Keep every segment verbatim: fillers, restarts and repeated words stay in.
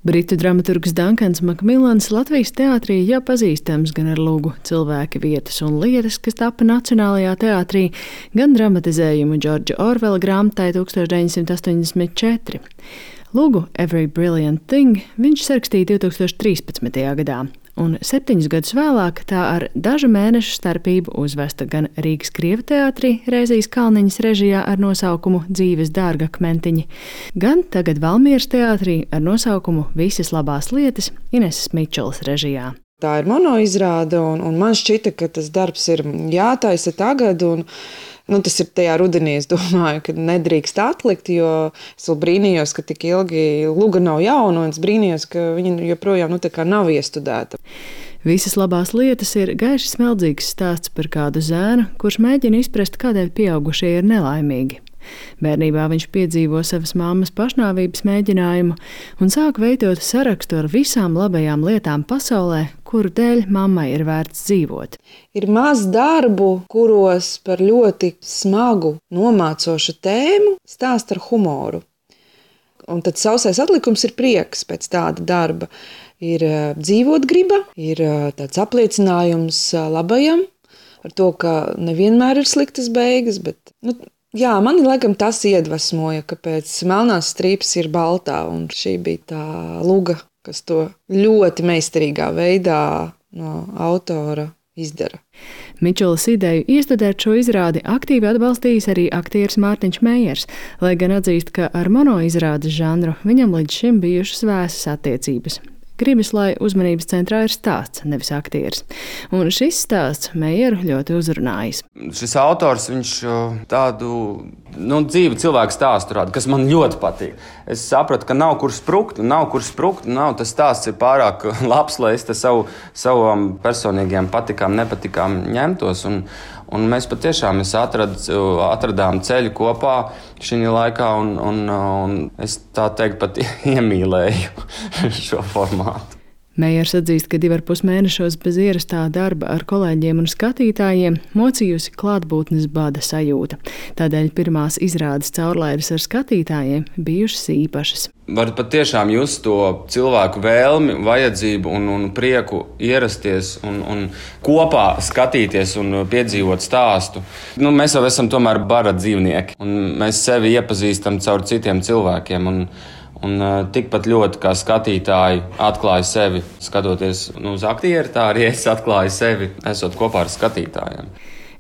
Britu dramaturgs Dankans Makmilans Latvijas teātrī jau pazīstams gan ar lugu Cilvēki, vietas un lietas, kas tapa Nacionālajā teātrī, gan dramatizējumu Džordža Orvela grāmatai tuksstoš deviņsimt astoņdesmit četri. Lugu Every Brilliant Thing viņš sarakstīja divtūkstoš trīspadsmitajā gadā, un septiņus gadus vēlāk tā ar dažu mēnešu starpību uzvesta gan Rīgas Krievu teātrī Rēzijas Kalniņas režijā ar nosaukumu Dzīves dārgakmentiņi, gan tagad Valmieras teātrī ar nosaukumu Visas labās lietas Ineses Mičolas režijā. Tā ir monoizrāde, un, un man šķita, ka tas darbs ir jātaisa tagad, un nu, tas ir tajā rudenī, es domāju, ka nedrīkst atlikt, jo es vēl brīnījos, ka tik ilgi luga nav jauna, un es brīnījos, ka viņa joprojām nu, tā kā nav iestudēta. Visas labās lietas ir gaiši smeldzīgs stāsts par kādu zēnu, kurš mēģina izprast, kādēļ pieaugušie ir nelaimīgi. Bērnībā viņš piedzīvo savas mammas pašnāvības mēģinājumu un sāk veidot sarakstu ar visām labajām lietām pasaulē, kuru dēļ mammai ir vērts dzīvot. Ir maz darbu, kuros par ļoti smagu, nomācošu tēmu stāst ar humoru. Un tad sausais atlikums ir prieks pēc tāda darba. Ir dzīvot griba, ir tāds apliecinājums labajam, ar to, ka nevienmēr ir sliktas beigas, bet... Nu, Jā, mani laikam tas iedvesmoja, ka pēc melnās strīpas ir baltā, un šī bija tā luga, kas to ļoti meistarīgā veidā no autora izdara. Mičolas ideju iestudēt šo izrādi aktīvi atbalstījis arī aktieris Mārtiņš Meijers, lai gan atzīst, ka ar monoizrādes žanru viņam līdz šim bijušas vēsas attiecības. Gribas, lai uzmanības centrā ir stāsts, nevis aktieris. Un šis stāsts Meijeru ļoti uzrunājis. Šis autors, viņš tādu nu, dzīvu cilvēku stāstu rāda, kas man ļoti patīk. Es sapratu, ka nav kur sprukt, nav kur sprukt, nav tas stāsts ir pārāk labs, lai es te savu, savām personīgajām patikām, nepatikām ņemtos. Un, un mēs patiešām atrad, atradām ceļu kopā šī laikā, un, un, un es tā teikt pat iemīlēju šo formātu. Meijers atzīst, ka divi ar pus mēnešos bez ierastā darba ar kolēģiem un skatītājiem mocījusi klātbūtnes bada sajūta. Tādēļ pirmās izrādes caurlaides ar skatītājiem bijušas īpašas. Var patiešām just to cilvēku vēlmi, vajadzību un, un prieku ierasties un, un kopā skatīties un piedzīvot stāstu. Nu, mēs jau esam tomēr bara dzīvnieki, un mēs sevi iepazīstam caur citiem cilvēkiem. Un, Un tikpat ļoti kā skatītāji atklāja sevi, skatoties nu, uz aktieri, tā arī es atklāju sevi, esot kopā ar skatītājiem.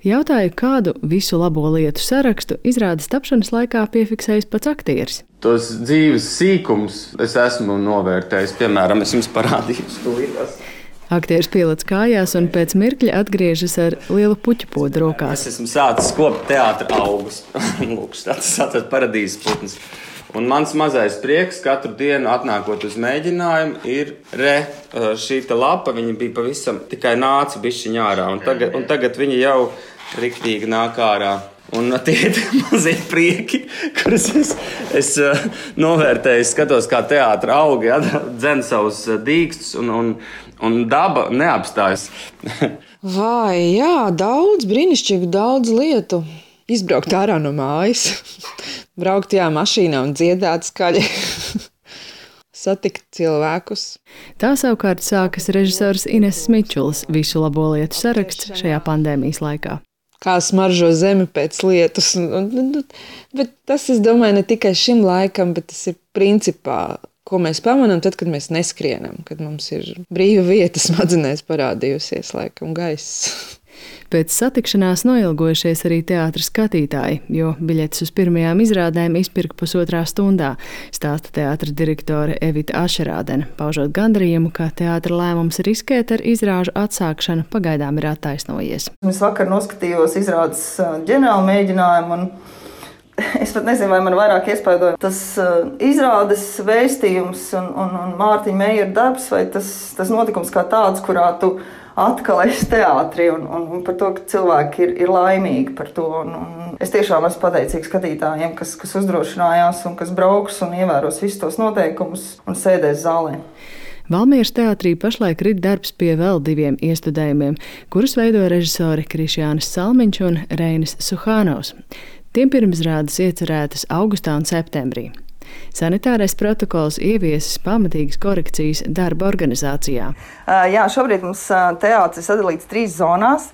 Jautāju, kādu visu labo lietu sarakstu izrādes tapšanas laikā piefiksējis pats aktieris. Tos dzīves sīkums es esmu novērtējis, piemēram, es jums parādīju stulītās. Aktieris pielec kājās un pēc mirkļa atgriežas ar lielu puķu podu rokās. Es esmu sācis kopt teātra augus. Lūk, tas ir paradīzes putns. Un mans mazais prieks katru dienu atnākot uz mēģinājumu ir re, šī lapa, viņa bija pavisam tikai nāca bišķiņ ārā, un tagad, un tagad viņa jau riktīgi nāk ārā. Un tie ir mazie prieki, kurus es, es novērtēju, skatos kā teātra augi, ja, dzen savus dīkstus, un, un, un daba neapstājas. Vai, jā, daudz, brīnišķīgi daudz lietu. Izbraukt ārā no mājas, braukt tajā mašīnā un dziedāt skaļi, satikt cilvēkus. Tā savukārt sākas režisors Ineses Mičolas visu labo lietu saraksts šajā pandēmijas laikā. Kā smaržo zemi pēc lietus. Bet tas, es domāju, ne tikai šim laikam, bet tas ir principā, ko mēs pamanām tad, kad mēs neskrienam, kad mums ir brīva vieta smadzenēs parādījusies laikam gaiss. Pēc satikšanās noilgojušies arī teātra skatītāji, jo biļetes uz pirmajām izrādēm izpirka pusotrā stundā, stāsta teātra direktore Evita Ašerādene, paužot gandarījumu, ka teātra lēmums riskēt ar izrāžu atsākšanu pagaidām ir attaisnojies. Es vakar noskatījos izrādes ģenerālu mēģinājumu, un es pat nezinu, vai man vairāk iespaidoja tas izrādes vēstījums un, un, un Mārtiņa Meijera darbs, vai tas, tas notikums kā tāds, kurā tu atkal es teātri un, un, un par to, ka cilvēki ir, ir laimīgi par to. Un, un es tiešām esmu pateicīgs skatītājiem, kas, kas uzdrošinājās un kas brauks un ievēros visus tos noteikumus un sēdēs zālē. Valmieras teātrī pašlaik rit darbs pie vēl diviem iestudējumiem, kurus veido režisori Krišjānis Salmiņš un Reinis Suhānovs. Tiem pirmizrādes iecerētas augustā un septembrī. Sanitārais protokols ieviesis pamatīgas korekcijas darba organizācijā. Jā, šobrīd mums teātris sadalīts trīs zonās.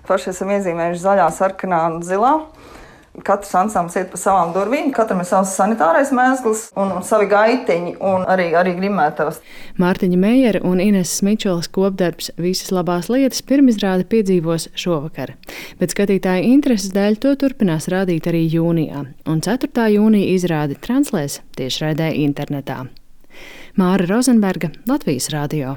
Paši esam iezīmējuši zaļā, sarkanā un zilā. Katrs ansamblis iet pa savām durvīm, katram ir savs sanitārais mēsls un, un savi gaiteņi un arī, arī grimētavas. Mārtiņa Meijera un Ineses Mičolas kopdarbs Visas labās lietas pirmizrāde piedzīvos šovakar. Bet skatītāju intereses dēļ to turpinās rādīt arī jūnijā, un ceturtā jūnija izrādi translēs tiešraidē internetā. Māra Rozenberga, Latvijas radio.